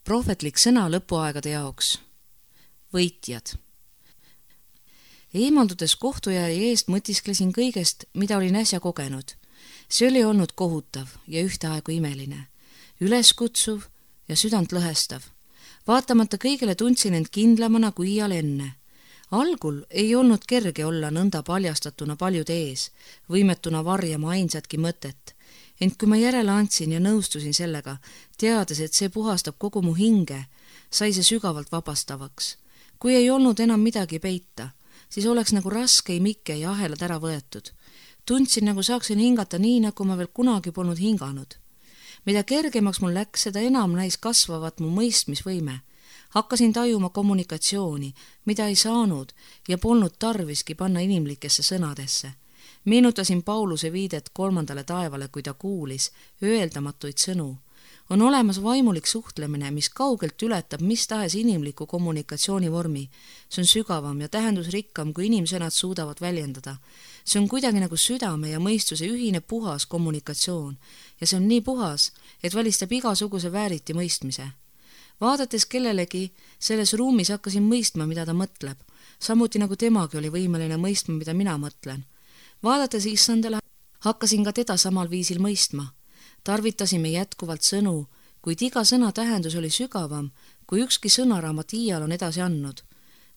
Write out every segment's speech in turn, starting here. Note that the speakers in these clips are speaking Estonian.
prohvetlik sõna lõpuaegade jaoks. Võitjad. Eemaldudes kohtujaja eest mõtisklesin kõigest, mida olin äsja kogenud. See oli olnud kohutav ja ühtaegu imeline, üleskutsuv ja südant lõhestav. Vaatamata kõigele tundsin end kindlamana kui iial enne. Algul ei olnud kerge olla nõnda paljastatuna paljude ees, võimetuna varjama ainsatki mõtet. Ent kui ma järele andsin ja nõustusin sellega, teades, et see puhastab kogu mu hinge, sai see sügavalt vabastavaks. Kui ei olnud enam midagi peita, siis oleks nagu raske imike ja ahelad ära võetud. Tundsin, nagu saaksin hingata nii, nagu ma veel kunagi polnud hinganud. Mida kergemaks mul läks, seda enam näis kasvavat mu mõistmisvõime. Hakkasin tajuma kommunikatsiooni, mida ei saanud ja polnud tarviski panna inimlikesse sõnadesse. Meenutasin Pauluse viidet 3. taevale, kui ta kuulis öeldamatuid sõnu. On olemas vaimulik suhtlemine, mis kaugelt ületab mis tahes inimliku kommunikatsiooni vormi. See on sügavam ja tähendusrikkam, kui inimsõnad suudavad väljendada. See on kuidagi nagu südame ja mõistuse ühine puhas kommunikatsioon ja see on nii puhas, et välistab igasuguse vääriti mõistmise. Vaadates kellelegi, selles ruumis hakkasin mõistma, mida ta mõtleb, samuti nagu temagi oli võimeline mõistma, mida mina mõtlen. Vaadates Issandale, hakkasin ka teda samal viisil mõistma. Tarvitasime jätkuvalt sõnu, kuid iga sõna tähendus oli sügavam, kui ükski sõnaraamat iial on edasi andnud.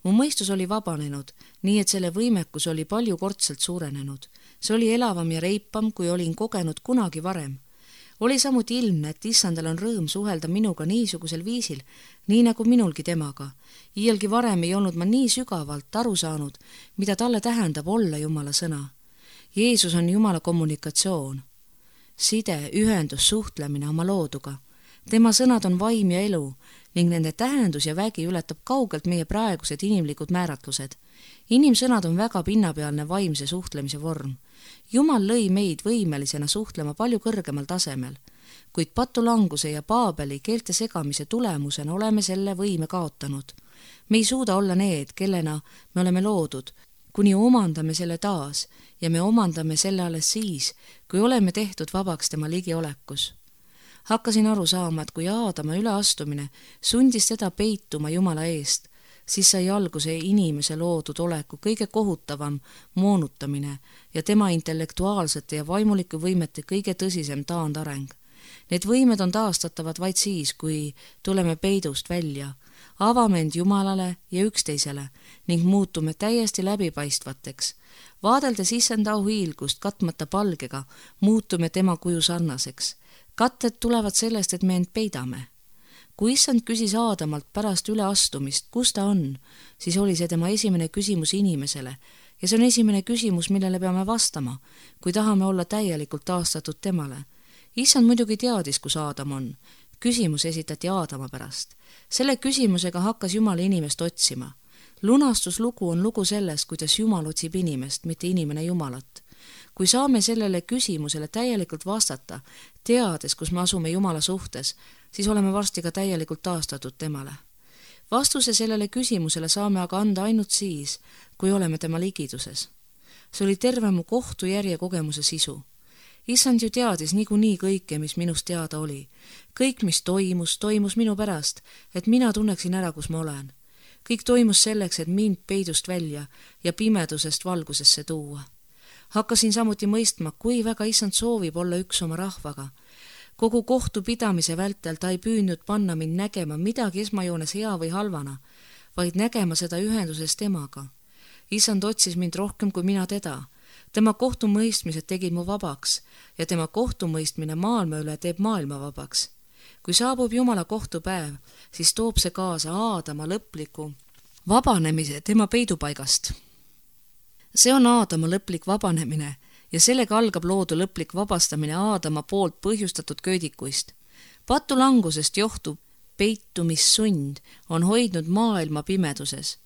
Mu mõistus oli vabanenud, nii et selle võimekus oli paljukordselt suurenenud. See oli elavam ja reipam, kui olin kogenud kunagi varem. Oli samuti ilmne, et Issandal on rõõm suhelda minuga niisugusel viisil, nii nagu minulgi temaga. Iialgi varem ei olnud ma nii sügavalt aru saanud, mida talle tähendab olla Jumala sõna. Jeesus on Jumala kommunikatsioon. Side, ühendus, suhtlemine oma looduga. Tema sõnad on vaim ja elu ning nende tähendus ja vägi ületab kaugelt meie praegused inimlikud määratlused. Inimsõnad on väga pinnapealne vaimse suhtlemise vorm. Jumal lõi meid võimelisena suhtlema palju kõrgemal tasemel, kuid patulanguse ja Paabeli keelte segamise tulemusena oleme selle võime kaotanud. Me ei suuda olla need, kellena me oleme loodud, kuni omandame selle taas ja me omandame selle alles siis, kui oleme tehtud vabaks tema ligiolekus. Hakkasin aru saama, et kui Aadama üleastumine sundis teda peituma Jumala eest, siis sai alguse inimese loodud oleku kõige kohutavam moonutamine ja tema intellektuaalsete ja vaimulike võimete kõige tõsisem taandareng. Need võimed on taastatavad vaid siis, kui tuleme peidust välja, avame end Jumalale ja üksteisele ning muutume täiesti läbipaistvateks. Vaadeldes Issanda auhiilgust katmata palgega, muutume tema kuju sarnaseks. Katted tulevad sellest, et me end peidame. Kui Issand küsis Aadamalt pärast üleastumist, kus ta on, siis oli see tema esimene küsimus inimesele ja see on esimene küsimus, millele peame vastama, kui tahame olla täielikult taastatud temale. Issand muidugi teadis, kus Aadam on. Küsimus esitati Aadama pärast. Selle küsimusega hakkas Jumal inimest otsima. Lunastuslugu on lugu sellest, kuidas Jumal otsib inimest, mitte inimene Jumalat. Kui saame sellele küsimusele täielikult vastata, teades, kus me asume Jumala suhtes, siis oleme varsti ka täielikult taastatud temale. Vastuse sellele küsimusele saame aga anda ainult siis, kui oleme tema ligiduses. See oli terve mu kohtujärje kogemuse sisu. Issand ju teadis niikuinii kõike, mis minust teada oli. Kõik, mis toimus minu pärast, et mina tunneksin ära, kus ma olen. Kõik toimus selleks, et mind peidust välja ja pimedusest valgusesse tuua. Hakkasin samuti mõistma, kui väga Issand soovib olla üks oma rahvaga. Kogu kohtupidamise vältel ta ei püüdnud panna mind nägema midagi esmajoones hea või halvana, vaid nägema seda ühenduses temaga. Issand otsis mind rohkem kui mina teda. Tema kohtumõistmised tegid mu vabaks ja tema kohtumõistmine maailma üle teeb maailma vabaks. Kui saabub Jumala kohtupäev, siis toob see kaasa Aadama lõpliku vabanemise tema peidupaigast. See on Aadama lõplik vabanemine ja sellega algab loodu lõplik vabastamine Aadama poolt põhjustatud köödikuist. Patulangusest johtub peitumissund on hoidnud maailma pimeduses.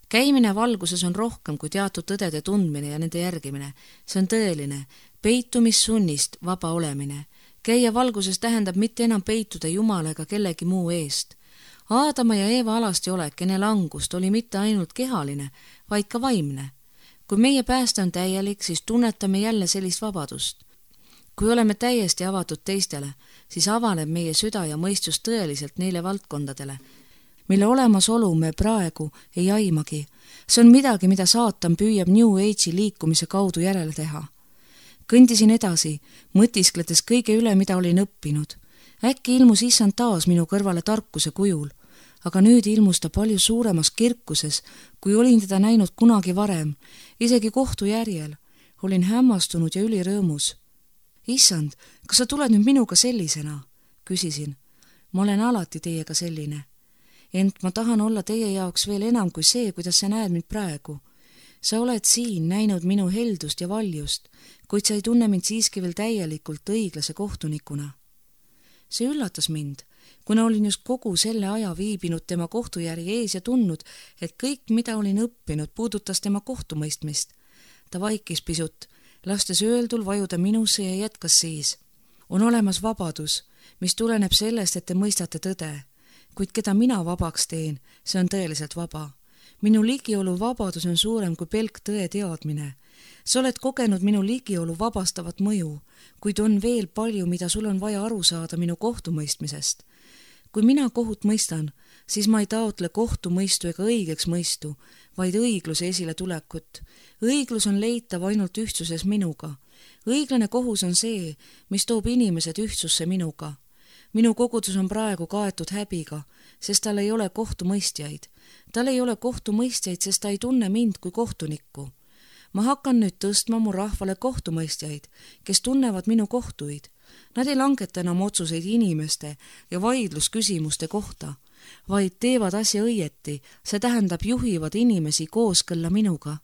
Käimine valguses on rohkem kui teatud tõdede tundmine ja nende järgimine. See on tõeline, peitumissunnist vaba olemine. Käia valguses tähendab mitte enam peituda Jumala ega kellegi muu eest. Aadama ja Eeva alasti olek enne langust oli mitte ainult kehaline, vaid ka vaimne. Kui meie pääste on täielik, siis tunnetame jälle sellist vabadust. kui oleme täiesti avatud teistele, siis avaneb meie süda ja mõistus tõeliselt neile valdkondadele, mille olemasolu me praegu ei aimagi. See on midagi, mida saatan püüab New Age'i liikumise kaudu järele teha. Kõndisin edasi, mõtiskledes kõige üle, mida olin õppinud. Äkki ilmus issand taas minu kõrvale tarkuse kujul, aga nüüd ilmus ta palju suuremas kirkuses, kui olin teda näinud kunagi varem, isegi kohtu järjel. Olin hämmastunud ja ülirõõmus. Issand, kas sa tuled nüüd minuga sellisena? Küsisin. Ma olen alati teiega selline. Ent ma tahan olla teie jaoks veel enam kui see, kuidas sa näed mind praegu. Sa oled siin näinud minu heldust ja valjust, kuid sa ei tunne mind siiski veel täielikult õiglase kohtunikuna. See üllatas mind, kuna olin just kogu selle aja viibinud tema kohtujärje ees ja tundnud, et kõik, mida olin õppinud, puudutas tema kohtumõistmist. Ta vaikis pisut, lastes öeldul vajuda minusse ja jätkas siis. On olemas vabadus, mis tuleneb sellest, et te mõistate tõde, kuid keda mina vabaks teen, see on tõeliselt vaba. Minu ligiolu vabadus on suurem kui pelk tõe teadmine. Sa oled kogenud minu ligiolu vabastavat mõju, kuid on veel palju, mida sul on vaja aru saada minu kohtumõistmisest. Kui mina kohut mõistan, siis ma ei taotle kohtumõistu ega õigeks mõistu, vaid õigluse esile tulekut. Õiglus on leitav ainult ühtsuses minuga. Õiglane kohus on see, mis toob inimesed ühtsusse minuga. Minu kogudus on praegu kaetud häbiga, sest tal ei ole kohtumõistjaid. Tal ei ole kohtumõistjaid, sest ta ei tunne mind kui kohtunikku. Ma hakkan nüüd tõstma mu rahvale kohtumõistjaid, kes tunnevad minu kohtuid. Nad ei langeta enam otsuseid inimeste ja vaidlusküsimuste kohta, vaid teevad asja õieti, see tähendab juhivad inimesi kooskõlla minuga.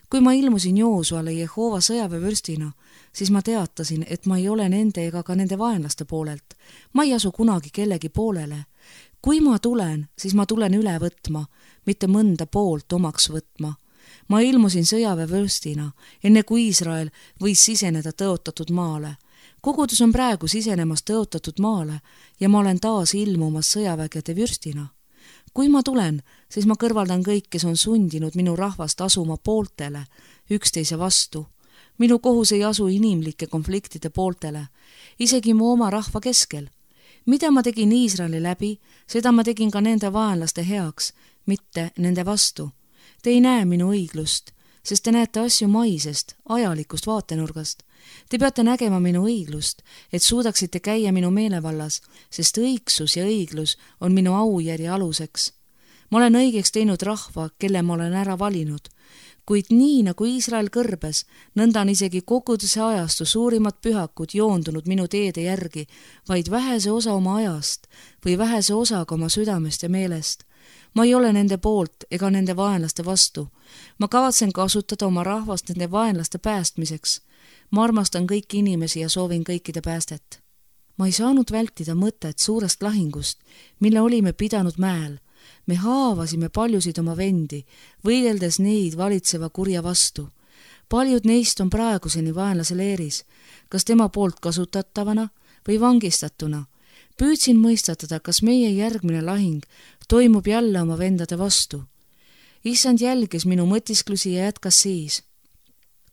Kui ma ilmusin Joosuale Jehova sõjaväevürstina, siis ma teatasin, et ma ei ole nende ega ka nende vaenlaste poolelt. Ma ei asu kunagi kellegi poolele. Kui ma tulen, siis ma tulen üle võtma, mitte mõnda poolt omaks võtma. Ma ilmusin sõjaväevürstina, enne kui Iisrael võis siseneda tõotatud maale. Kogudus on praegu sisenemas tõotatud maale ja ma olen taas ilmumas sõjavägede vürstina. Kui ma tulen, siis ma kõrvaldan kõik, kes on sundinud minu rahvast asuma pooltele, üksteise vastu. Minu kohus ei asu inimlike konfliktide pooltele, isegi mu oma rahva keskel. Mida ma tegin Iisraeli läbi, seda ma tegin ka nende vaenlaste heaks, mitte nende vastu. Te ei näe minu õiglust, sest te näete asju maisest, ajalikust vaatenurgast. Te peate nägema minu õiglust, et suudaksite käia minu meelevallas, sest õigsus ja õiglus on minu aujärje aluseks. Ma olen õigeks teinud rahva, kelle ma olen ära valinud, kuid nii nagu Iisrael kõrbes, nõnda on isegi koguduse ajastu suurimad pühakud joondunud minu teede järgi, vaid vähese osa oma ajast või vähese osaga oma südamest ja meelest. Ma ei ole nende poolt ega nende vaenlaste vastu. Ma kavatsen kasutada oma rahvast nende vaenlaste päästmiseks. Ma armastan kõiki inimesi ja soovin kõikide päästet. Ma ei saanud vältida mõtet suurest lahingust, mille olime pidanud mäel. Me haavasime paljusid oma vendi, võideldes neid valitseva kurja vastu. Paljud neist on praeguseni vaenlase leeris, kas tema poolt kasutatavana või vangistatuna. Püüdsin mõistatada, kas meie järgmine lahing toimub jälle oma vendade vastu. Issand jälgis minu mõtisklusi ja jätkas siis.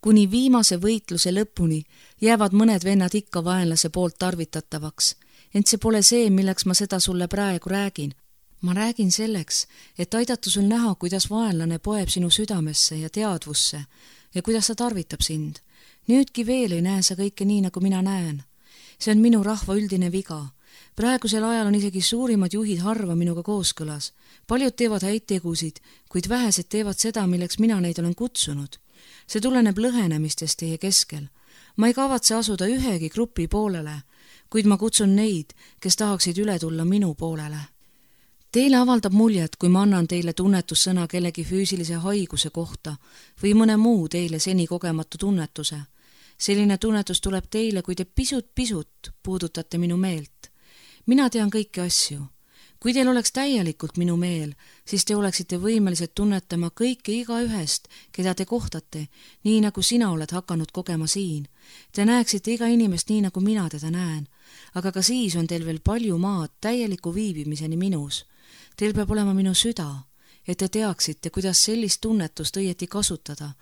Kuni viimase võitluse lõpuni jäävad mõned vennad ikka vaenlase poolt tarvitatavaks, ent see pole see, milleks ma seda sulle praegu räägin. Ma räägin selleks, et aidata sul näha, kuidas vaenlane poeb sinu südamesse ja teadvusse ja kuidas ta tarvitab sind. Nüüdki veel ei näe sa kõike nii, nagu mina näen. See on minu rahva üldine viga. Praegusel ajal on isegi suurimad juhid harva minuga kooskõlas. Paljud teevad häid tegusid, kuid vähesed teevad seda, milleks mina neid olen kutsunud. See tuleneb lõhenemistest teie keskel. Ma ei kavatse asuda ühegi grupi poolele, kuid ma kutsun neid, kes tahaksid üle tulla minu poolele. Teile avaldab muljet, kui ma annan teile tunnetussõna kellegi füüsilise haiguse kohta või mõne muu teile seni kogematu tunnetuse. Selline tunnetus tuleb teile, kui te pisut puudutate minu meelt. Mina tean kõiki asju. Kui teil oleks täielikult minu meel, siis te oleksite võimelised tunnetama kõike igaühest, keda te kohtate, nii nagu sina oled hakanud kogema siin. Te näeksite iga inimest nii, nagu mina teda näen, aga ka siis on teil veel palju maad täieliku viibimiseni minus. Teil peab olema minu süda, et te teaksite, kuidas sellist tunnetust õieti kasutada.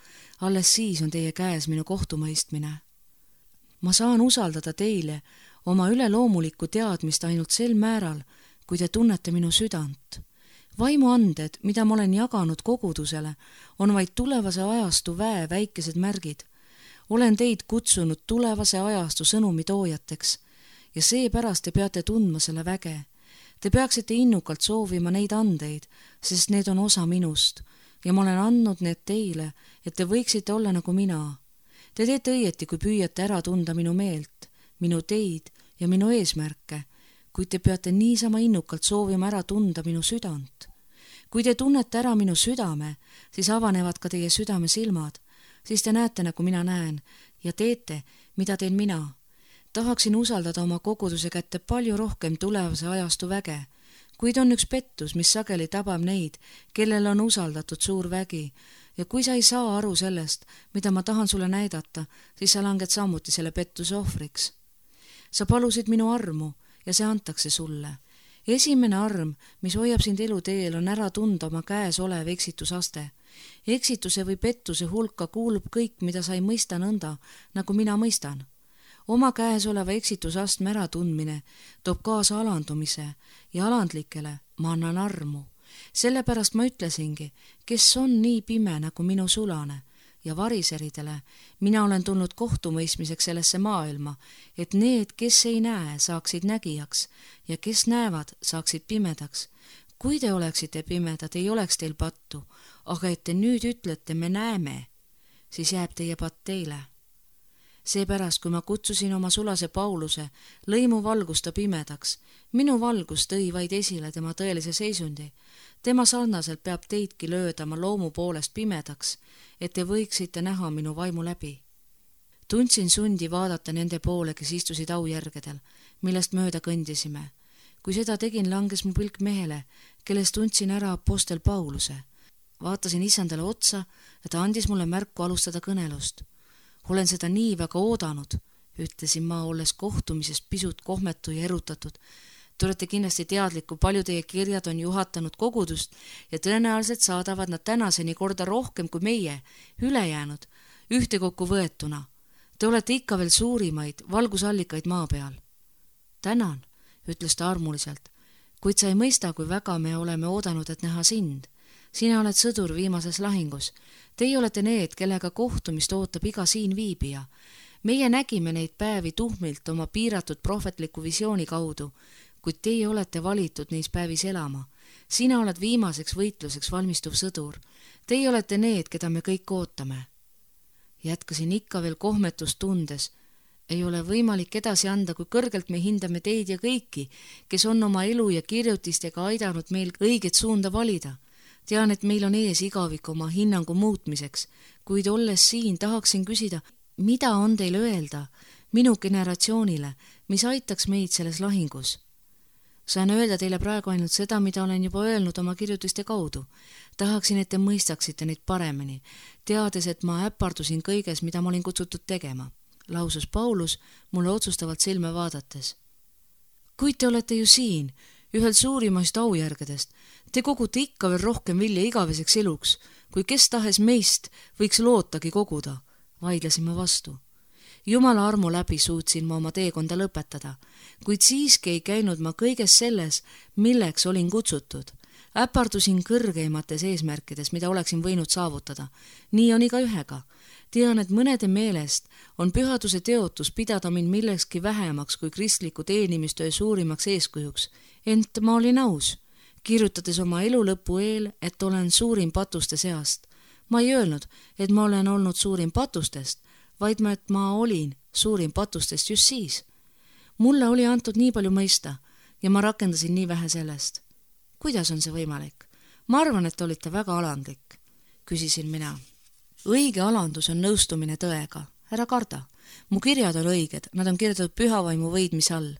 Alles siis on teie käes minu kohtumõistmine. ma saan usaldada teile oma üleloomulikku teadmist ainult sel määral, kui te tunnete minu südant. Vaimuanded, mida ma olen jaganud kogudusele, on vaid tulevase ajastu väe väikesed märgid. Olen teid kutsunud tulevase ajastu sõnumitoojateks ja seepärast te peate tundma selle väge. Te peaksite innukalt soovima neid andeid, sest need on osa minust ja ma olen andnud need teile, et te võiksite olla nagu mina. Te teete õieti, kui püüate ära tunda minu meelt, minu teid ja minu eesmärke, kuid te peate niisama innukalt soovima ära tunda minu südant. Kui te tunnete ära minu südame, siis avanevad ka teie südame silmad, siis te näete, nagu mina näen ja teete, mida teen mina. Tahaksin usaldada oma koguduse kätte palju rohkem tulevase ajastu väge, kuid on üks pettus, mis sageli tabab neid, kellel on usaldatud suur vägi ja kui sa ei saa aru sellest, mida ma tahan sulle näidata, siis sa langed samuti selle pettuse ohvriks. Sa palusid minu armu ja see antakse sulle. Esimene arm, mis hoiab sind eluteel, on ära tunda oma käes olev eksitusaste. Eksituse või pettuse hulka kuulub kõik, mida sa ei mõista nõnda, nagu mina mõistan. Oma käes oleva eksitusastme äratundmine toob kaasa alandumise ja alandlikele ma annan armu. Sellepärast ma ütlesingi, kes on nii pime nagu minu sulane ja variseridele, mina olen tulnud kohtumõistmiseks sellesse maailma, et need, kes ei näe, saaksid nägijaks ja kes näevad, saaksid pimedaks. Kui te oleksite pimedad, ei oleks teil pattu, aga et te nüüd ütlete, me näeme, siis jääb teie patt teile. Seepärast, kui ma kutsusin oma sulase Pauluse, lõi mu valgus ta pimedaks. Minu valgus tõi vaid esile tema tõelise seisundi. Tema sarnaselt peab teidki löödama loomu poolest pimedaks, et te võiksite näha minu vaimu läbi. Tundsin sundi vaadata nende poole, kes istusid aujärgedel, millest mööda kõndisime. Kui seda tegin, langes mu pilk mehele, kellest tundsin ära apostel Pauluse. Vaatasin issandale otsa ja ta andis mulle märku alustada kõnelust. Olen seda nii väga oodanud, ütlesin ma, olles kohtumisest pisut kohmetu ja erutatud. Te olete kindlasti teadliku, palju teie kirjad on juhatanud kogudust ja tõenäoliselt saadavad nad tänaseni korda rohkem kui meie, ülejäänud, ühtekokku võetuna. Te olete ikka veel suurimaid valgusallikaid maa peal. Tänan, ütles ta armuliselt, kuid sa ei mõista, kui väga me oleme oodanud, et näha sind. Sina oled sõdur viimases lahingus. Teie olete need, kellega kohtumist ootab iga siin viibija. Meie nägime neid päevi tuhmilt oma piiratud prohvetliku visiooni kaudu, kuid teie olete valitud neis päevis elama. Sina oled viimaseks võitluseks valmistuv sõdur. Teie olete need, keda me kõik ootame. Jätkasin ikka veel kohmetust tundes. Ei ole võimalik edasi anda, kui kõrgelt me hindame teid ja kõiki, kes on oma elu ja kirjutistega aidanud meil õiget suunda valida. Tean, et meil on ees igavik oma hinnangu muutmiseks, kuid olles siin tahaksin küsida, mida on teil öelda minu generatsioonile, mis aitaks meid selles lahingus? Saan öelda teile praegu ainult seda, mida olen juba öelnud oma kirjutiste kaudu. Tahaksin, et te mõistaksite neid paremini, teades, et ma äpardusin kõiges, mida ma olin kutsutud tegema, lausus Paulus mulle otsustavalt silme vaadates. Kuid te olete ju siin, ühel suurimaist aujärgedest. Te kogute ikka veel rohkem vilja igaveseks eluks, kui kes tahes meist võiks lootagi koguda, vaidlesin ma vastu. Jumala armu läbi suutsin ma oma teekonda lõpetada, kuid siiski ei käinud ma kõiges selles, milleks olin kutsutud. Äpardusin kõrgeimates eesmärkides, mida oleksin võinud saavutada. Nii on iga ühega. Tean, et mõnede meelest on pühaduse teotus pidada mind millekski vähemaks kui kristliku teenimistöö suurimaks eeskujuks, ent ma olin aus, kirjutades oma elu lõpu eel, et olen suurim patuste seast. Ma ei öelnud, et ma olen olnud suurim patustest, vaid et ma olin suurim patustest just siis. Mulle oli antud nii palju mõista ja ma rakendasin nii vähe sellest. Kuidas on see võimalik? Ma arvan, et olite väga alandlik, küsisin mina. Õige alandus on nõustumine tõega. Ära karda. Mu kirjad on õiged, nad on kirjutatud pühavaimu võidmise all,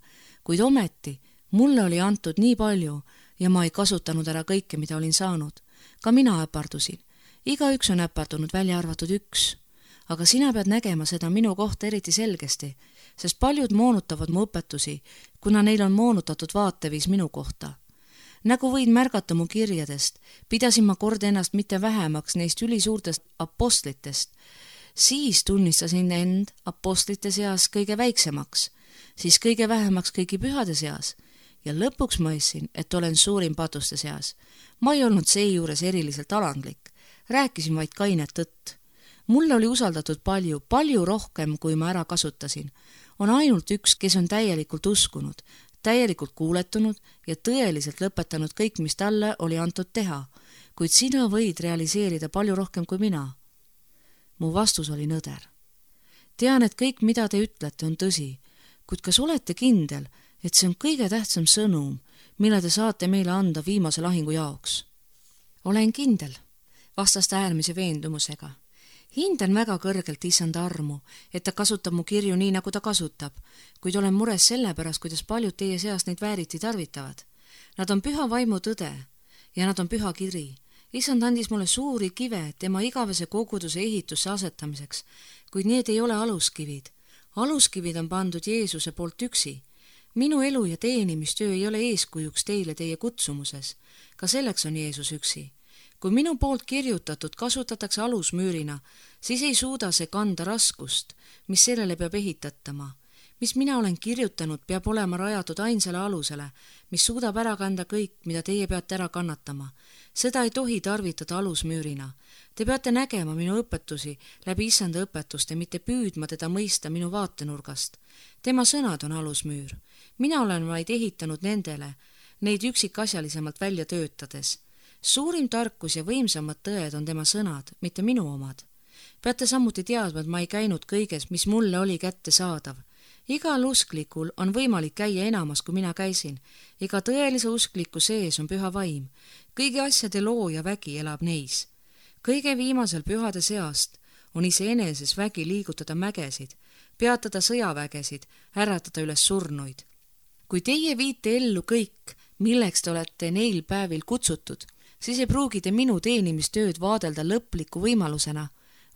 kuid ometi mulle oli antud nii palju ja ma ei kasutanud ära kõike, mida olin saanud. Ka mina äpardusin. Igaüks on äpardunud, välja arvatud üks. Aga sina pead nägema seda minu kohta eriti selgesti, sest paljud moonutavad mu õpetusi, kuna neil on moonutatud vaateviis minu kohta. Nagu võid märgata mu kirjadest, pidasin ma kord ennast mitte vähemaks neist ülisuurtest apostlitest, Siis tunnistasin end apostlite seas kõige väiksemaks, siis kõige vähemaks kõigi pühade seas ja lõpuks mõistsin, et olen suurim patuste seas. Ma ei olnud seejuures eriliselt alandlik, rääkisin vaid kainet tõtt. Mulle oli usaldatud palju rohkem, kui ma ära kasutasin. On ainult üks, kes on täielikult uskunud, täielikult kuuletunud ja tõeliselt lõpetanud kõik, mis talle oli antud teha, kuid sina võid realiseerida palju rohkem kui mina. Mu vastus oli nõder. Tean, et kõik, mida te ütlete, on tõsi, kuid kas olete kindel, et see on kõige tähtsam sõnum, mille te saate meile anda viimase lahingu jaoks? Olen kindel, vastas ta äärmise veendumusega. Hindan väga kõrgelt issanda armu, et ta kasutab mu kirju nii, nagu ta kasutab, kuid olen mures selle pärast, kuidas paljud teie seast neid vääriti tarvitavad. Nad on püha vaimu tõde ja nad on püha kiri. Issand andis mulle suuri kive tema igavese koguduse ehitusse asetamiseks, kuid need ei ole aluskivid. Aluskivid on pandud Jeesuse poolt üksi. Minu elu ja teenimistöö ei ole eeskujuks teile teie kutsumuses. Ka selleks on Jeesus üksi. Kui minu poolt kirjutatud kasutatakse alusmüürina, siis ei suuda see kanda raskust, mis sellele peab ehitatama. Mis mina olen kirjutanud, peab olema rajatud ainsale alusele, mis suudab ära kanda kõik, mida teie peate ära kannatama. Seda ei tohi tarvitada alusmüürina. Te peate nägema minu õpetusi läbi issanda õpetuste, mitte püüdma teda mõista minu vaatenurgast. Tema sõnad on alusmüür. Mina olen vaid ehitanud nendele, neid üksikasjalisemalt välja töötades. Suurim tarkus ja võimsamad tõed on tema sõnad, mitte minu omad. Peate samuti teadma, et ma ei käinud kõiges, mis mulle oli kätte saadav. Igal usklikul on võimalik käia enamas, kui mina käisin. Iga tõelise uskliku sees on püha vaim. Kõigi asjade looja vägi elab neis. Kõige viimasel pühade seast on iseeneses vägi liigutada mägesid, peatada sõjavägesid, äratada üles surnuid. Kui teie viite ellu kõik, milleks te olete neil päevil kutsutud, siis ei pruugi te minu teenimistööd vaadelda lõpliku võimalusena,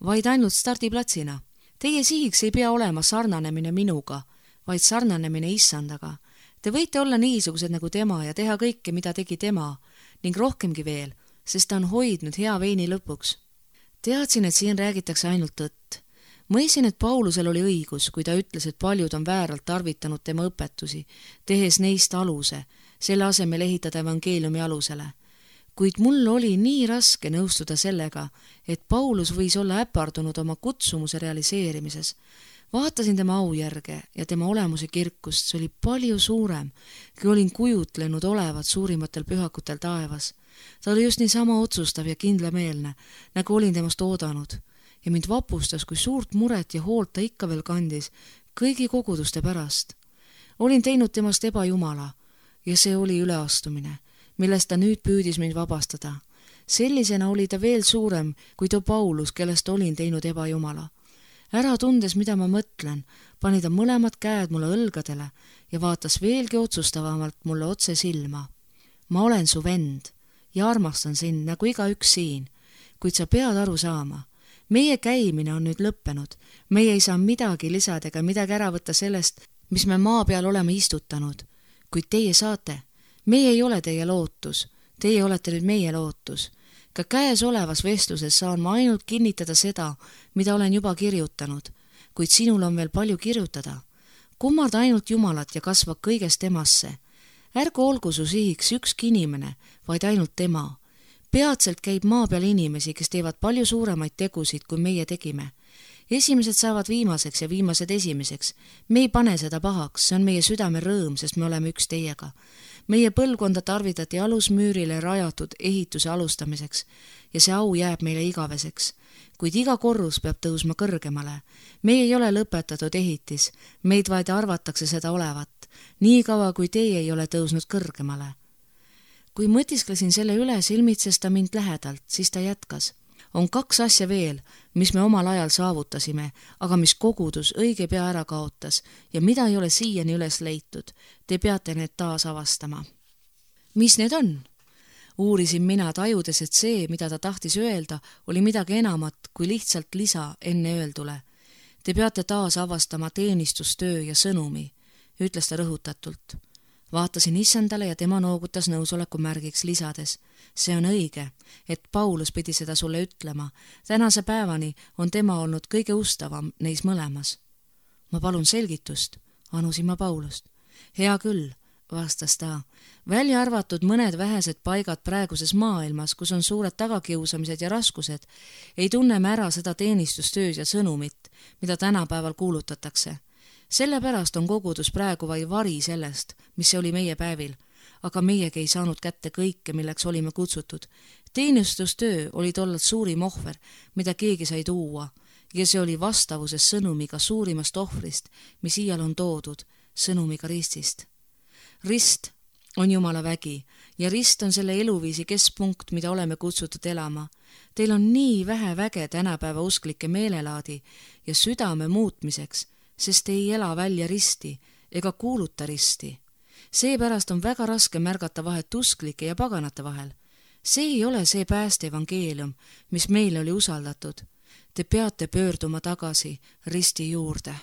vaid ainult stardiplatsina. Teie sihiks ei pea olema sarnanemine minuga, vaid sarnanemine issandaga. Te võite olla niisugused nagu tema ja teha kõike, mida tegi tema, ning rohkemgi veel, sest ta on hoidnud hea veini lõpuks. Teadsin, et siin räägitakse ainult tõtt. Mõisin, et Paulusel oli õigus, kui ta ütles, et paljud on vääralt tarvitanud tema õpetusi, tehes neist aluse, selle asemel ehitada evangeeliumi alusele. Kuid mul oli nii raske nõustuda sellega, et Paulus võis olla äpardunud oma kutsumuse realiseerimises. Vaatasin tema aujärge ja tema olemuse kirkust, see oli palju suurem, kui olin kujutlenud olevat suurimatel pühakutel taevas. Ta oli just niisama otsustav ja kindlameelne, nagu olin temast oodanud, ja mind vapustas, kui suurt muret ja hoolt ta ikka veel kandis kõigi koguduste pärast. Olin teinud temast ebajumala ja see oli üleastumine, millest ta nüüd püüdis mind vabastada. Sellisena oli ta veel suurem kui too Paulus, kellest olin teinud ebajumala. Ära tundes, mida ma mõtlen, pani ta mõlemad käed mulle õlgadele ja vaatas veelgi otsustavamalt mulle otse silma. Ma olen su vend ja armastan sind nagu igaüks siin, kuid sa pead aru saama. Meie käimine on nüüd lõppenud. Meie ei saa midagi lisada ega midagi ära võtta sellest, mis me maa peal oleme istutanud, kuid teie saate. Meie ei ole teie lootus, teie olete nüüd meie lootus. Ka käes olevas vestluses saan ma ainult kinnitada seda, mida olen juba kirjutanud, kuid sinul on veel palju kirjutada. Kummarda ainult Jumalat ja kasva kõigest temasse. Ärgu olgu su sihiks ükski inimene, vaid ainult tema. Peatselt käib maa peal inimesi, kes teevad palju suuremaid tegusid, kui meie tegime. Esimesed saavad viimaseks ja viimased esimeseks. Me ei pane seda pahaks, see on meie südame rõõm, sest me oleme üks teiega. Meie põlvkonda tarvitati alusmüürile rajatud ehituse alustamiseks ja see au jääb meile igaveseks, kuid iga korrus peab tõusma kõrgemale. Me ei ole lõpetatud ehitis, meid vaid arvatakse seda olevat, nii kaua kui teie ei ole tõusnud kõrgemale. Kui mõtisklesin selle üle, silmitses ta mind lähedalt, siis ta jätkas. On 2 asja veel, mis me omal ajal saavutasime, aga mis kogudus õige pea ära kaotas ja mida ei ole siiani üles leitud. Te peate need taas avastama. Mis need on? Uurisin mina, tajudes, et see, mida ta tahtis öelda, oli midagi enamat kui lihtsalt lisa enne öeldule. Te peate taas avastama teenistustöö ja sõnumi, ütles ta rõhutatult. Vaatasin issandale ja tema noogutas nõusoleku märgiks, lisades: see on õige, et Paulus pidi seda sulle ütlema. Tänase päevani on tema olnud kõige ustavam neis mõlemas. Ma palun selgitust, anusin ma Paulust. Hea küll, vastas ta. Välja arvatud mõned vähesed paigad praeguses maailmas, kus on suured tagakiusamised ja raskused, ei tunne me ära seda teenistustööd ja sõnumit, mida tänapäeval kuulutatakse. Sellepärast on kogudus praegu vaid vari sellest, mis see oli meie päevil, aga meiegi ei saanud kätte kõike, milleks olime kutsutud. Teenistustöö oli tollalt suurim ohver, mida keegi sai tuua, ja see oli vastavuses sõnumiga suurimast ohvrist, mis iial on toodud, sõnumiga ristist. Rist on Jumala vägi ja rist on selle eluviisi keskpunkt, mida oleme kutsutud elama. Teil on nii vähe väge tänapäeva usklike meelelaadi ja südame muutmiseks, sest ei ela välja risti ega kuuluta risti. Seepärast on väga raske märgata vahet usklike ja paganate vahel. See ei ole see pääste evangeelium, mis meile oli usaldatud. Te peate pöörduma tagasi risti juurde.